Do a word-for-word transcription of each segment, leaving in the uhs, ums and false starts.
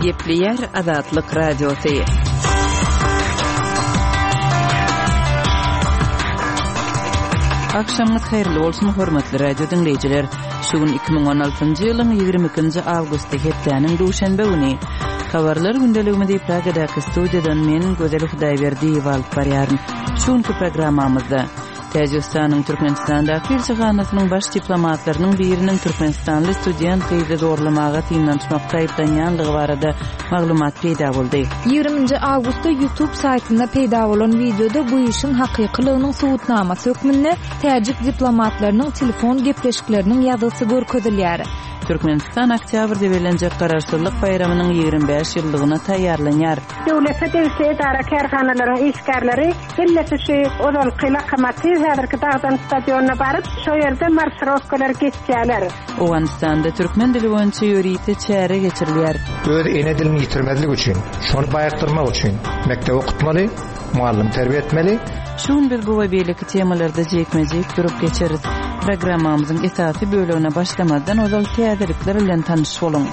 Gepleýär Azatlyk Radiosy. Agşamyňyz haýyrly bolsun, hormatly radio diňleýjiler. Şu gün iki müň on altynjy ýylyň ýigrimi ikinji awgusty, hepdäniň duşenbe güni. Habarlar gündeligimizi Pragadaky studiýadan men, Gözel Hudaýberdiýewa alyp barýaryn. Şu günki programmamyzda Täjigistanyň Türkmenistandaky ilçihanasynyň baş diplomatlarynyň biriniň türkmenistanly student gyzy zorlamaga synanyşmakda aýyplanýanlygy barada maglumat peýda boldy. Ýigriminji awgustda YouTube saýtynda peýda bolan wideoda bu işiň hakykylygynyň subutnamasy hökmünde täjik diplomatlarynyň telefon gepleşikleriniň ýazgysy görkezilýär. Türkmenistan oktýabrda bellenjek Garaşsyzlyk baýramynyň ýigrimi bäş ýyllygyna taýýarlanýar. Döwlete degişli edara-kärhanalaryň işgärleri hemmesi şu ozalky Lokomotiw häzirki Dagdan stadionyna baryp, şo ýerde marşirowkalar geçýärler. Owganystanda türkmen dili boýunça ýörite çäre geçirilýär. Öz ene dilini ýitirmezlik üçin, şony baýakdyrmak üçin mekdep okutmaly, muallim terbiýe etmeli. Şu gün biz bu we beýleki temalarda jikme-jik durup geçeris. Programmamyzyň esasy bölegine başlamazdan ozal täzelikler bilen tanyş boluň.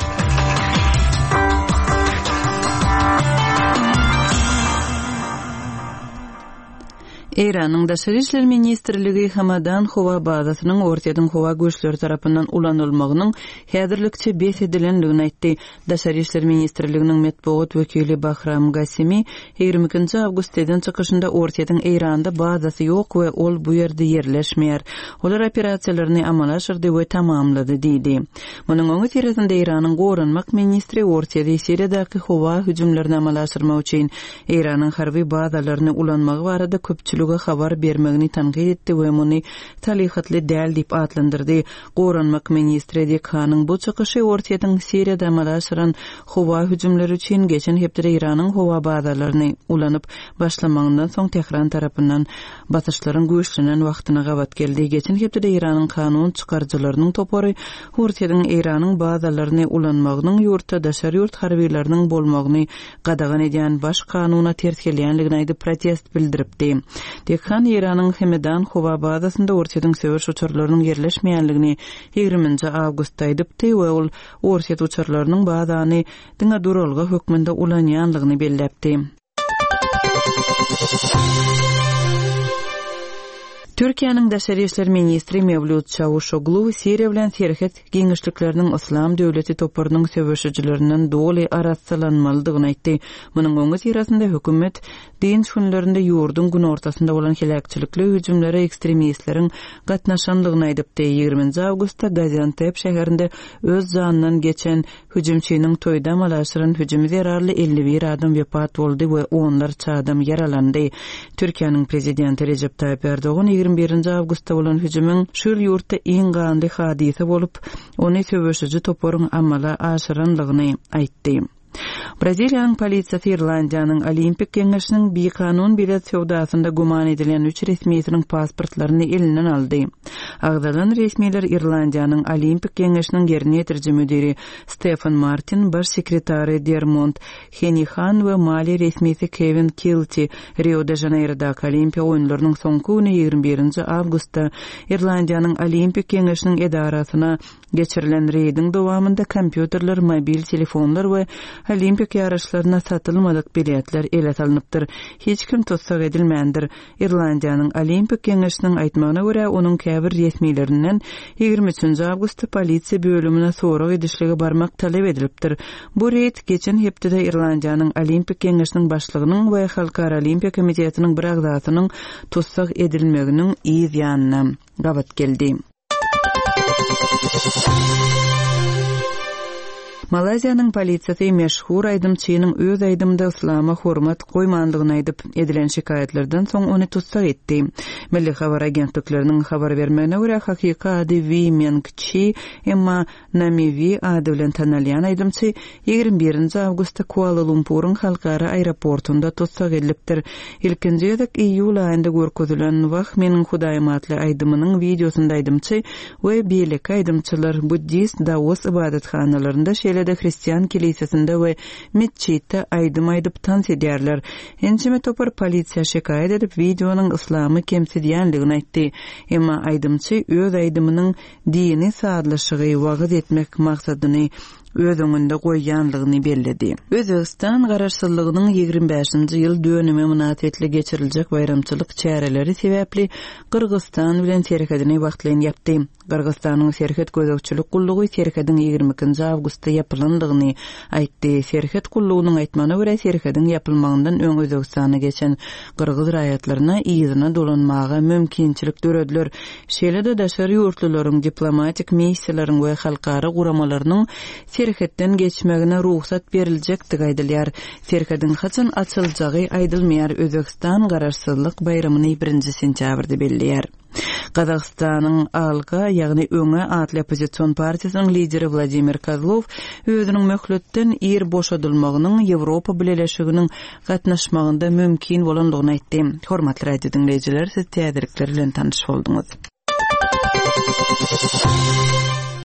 Eýranyň Daşary işler ministrligi Hamadan howa bazasynyň Orsýetiň howa güýçleri tarapyndan ulanylmagynyň häzirlikçe bes edilendigini aýtdy. Daşary işler ministrliginiň metbugat wekili Bahram Gasimi ýigrimi ikinji awgustda eden çykyşynda Orsýetiň Eýranda bazasy ýok we ol bu ýerde ýerleşmeýär. Olar operasiýalaryny amala aşyrdy we tamamlady diýdi. Munuň öňüsyrasynda Eýranyň goranmak ministri Orsýeti Siriýadaky howa hüjümlerini amala aşyrmak üçin Eýranyň harby bazalaryny ulanmagy barada köpçülige habar bermegini tankyt etdi we muny salyhatly däl diýip atlandyrdy. Goranmak ministri Dekhanyň bu çykyşy Orsýetiň Siriýada amala aşyran howa hüjümleri üçin geçen hepdede Eýranyň howa bazalaryny ulanyp başlamagyndan soň Tehran tarapyndan basyşlaryň güýçlenen wagtyna gabat geldi. Geçen hepdede Eýranyň kanun çykaryjylarynyň topary Orsýetiň Eýranyň bazalaryny ulanmagynyň ýurtda daşary ýurt harbileriniň bolmagyny gadagan edýän baş kanuna ters gelýänligini aýdyp protest bildiripdi. Dekhan Eýranyň Hemedan howa bazasynda Orsýetiň söweş uçarlarynyň ýerleşmeýänligini ýigriminji awgustda aýdypdy we ol Orsýet uçarlarynyň bazany diňe duralga hökmünde ulanýanlygyny belläpdi. Türkiýäniň Daşary işler ministri Mewlüt Çawuşoglu Siriýa bilen serhet giňişlikleriniň Yslam döwleti toparynyň söweşijilerinden doly arassalanmalydygyny aýtdy. Munuň öňüsyrasynda hökümet dynç günlerinde ýurduň günortasynda bolan heläkçilikli hüjümlere ekstremistleriň gatnaşanlygyny aýdypdy. Ýigriminji awgustda Gaziantep şäherinde öz janyndan geçen hüjümçiniň toýda amala aşyran hüjümi zerarly elli bir adam wepat boldy we onlarça adam ýaralandy. Türkiýäniň prezidenti Recep Tayyip Erdogan ýigrimi birinji awgustda bolan hüjümiň şu ýyl ýurtda iň ganly hadysa bolup, ony söweşiji toparyň amala aşyranlygyny aýtdy. Braziliýanyň polisiýasy Irlandiýanyň Olimpik Geňeşiniň bikanun bilet söwdasynda güman edilen üç resmisiniň pasportlaryny elinden aldy. Agzalan resmiler Irlandiýanyň Olimpik Geňeşiniň ýerine ýetiriji müdiri Stefan Martin, baş sekretary Dermont Henihan we maliýe resmisi Kevin Kilty Rio de Janeirodaky Olimpiýa oýunlarynyň soňky güni ýigrimi birinji awgustda Irlandiýanyň Olimpik Geňeşiniň edarasyna geçirilen reýdiň dowamynda kompýuterler, mobil telefonlar we Olimpik ýaryşlaryna satylmadyk biletler ele salynypdyr. Hiç kim tussag edilmändir. Irlandiýanyň Olimpik Geňeşiniň aýtmagyna görä, onuň käbir resmilerinden ýigrimi üçünji awgustda polisiýa bölümine sorag edişlige barmak talap edilipdir. Bu reýd geçen hepdede Irlandiýanyň Olimpik Geňeşiniň başlygynyň we Halkara Olimpiýa Komitetiniň bir agzasynyň tussag edilmeginiň yz ýanyna gabat geldi. Malaýziýanyň polisiýasy meşhur aýdymçynyň öz aýdymynda yslama hormat goýmandygyny aýdyp, edilen şikaýatlardan soň ony tussag etdi. Milli habar agentlikleriniň habar bermegine görä, hakyky ady Wee Meng Chi, emma Nami Wee ady bilen tanalýan aýdymçy ýigrimi birinji awgustda Kuala Lumpuryň halkara aeroportunda tussag edilipdir. Ilkinji gezek iýul aýynda görkezilen Wah meniň Hudaýym atly aýdymynyň wideosynda aýdymçy we beýleki aýdymçylar buddist Daos ibadathanalarynda, şeýle-de hristian kilisesinde we metjitde aýdym aýdyp tans edýärler. Ençeme topar polisiýa şikaýat edip wideonyň yslamy kemsidýänligini aýtdy. Emma aýdymçy öz aýdymynyň dini sazlaşygy wagyz etmek maksadyny öz öňünde goýýanlygyny belledi. Özbegistan Garaşsyzlygynyň ýigrimi bäşinji ýyl dönümi mynasybetli geçiriljek baýramçylyk çäreleri sebäpli Gyrgyzystan bilen serhedini wagtlaýyn ýapdy. Gyrgyzystanyň serhet gözegçilik gullugy serhediň ýigrimi ikinji awgustda ýapylandygyny aýtdy. Serhet gullugynyň aýtmagyna görä, serhediň ýapylmagyndan öň Özbegistana geçen gyrgyz raýatlaryna yzyna dolanmaga mümkinçilik dörediler. Şeýle-de daşary ýurtlularyň, diplomatik missiýalaryň we halkara guramalarynyň serhetden geçmegine rugsat beriljekdigi aýdylýar. Serhediň haçan açyljagy aýdylmaýar. Özbegistan Garaşsyzlyk baýramyny birinji sentýabrda belleýär. Gazagystanyň Alga, ýagny Öňe atly oppozision partiýasynyň lideri Wladimir Kozlow özüniň möhletden ir boşadylmagynyň Ýewropa Bileleşiginiň gatnaşmagynda mümkin bolandygyny aýtdy. Hormatly radio diňleýjiler, siz täzelikler bilen tanyş bolduňyz.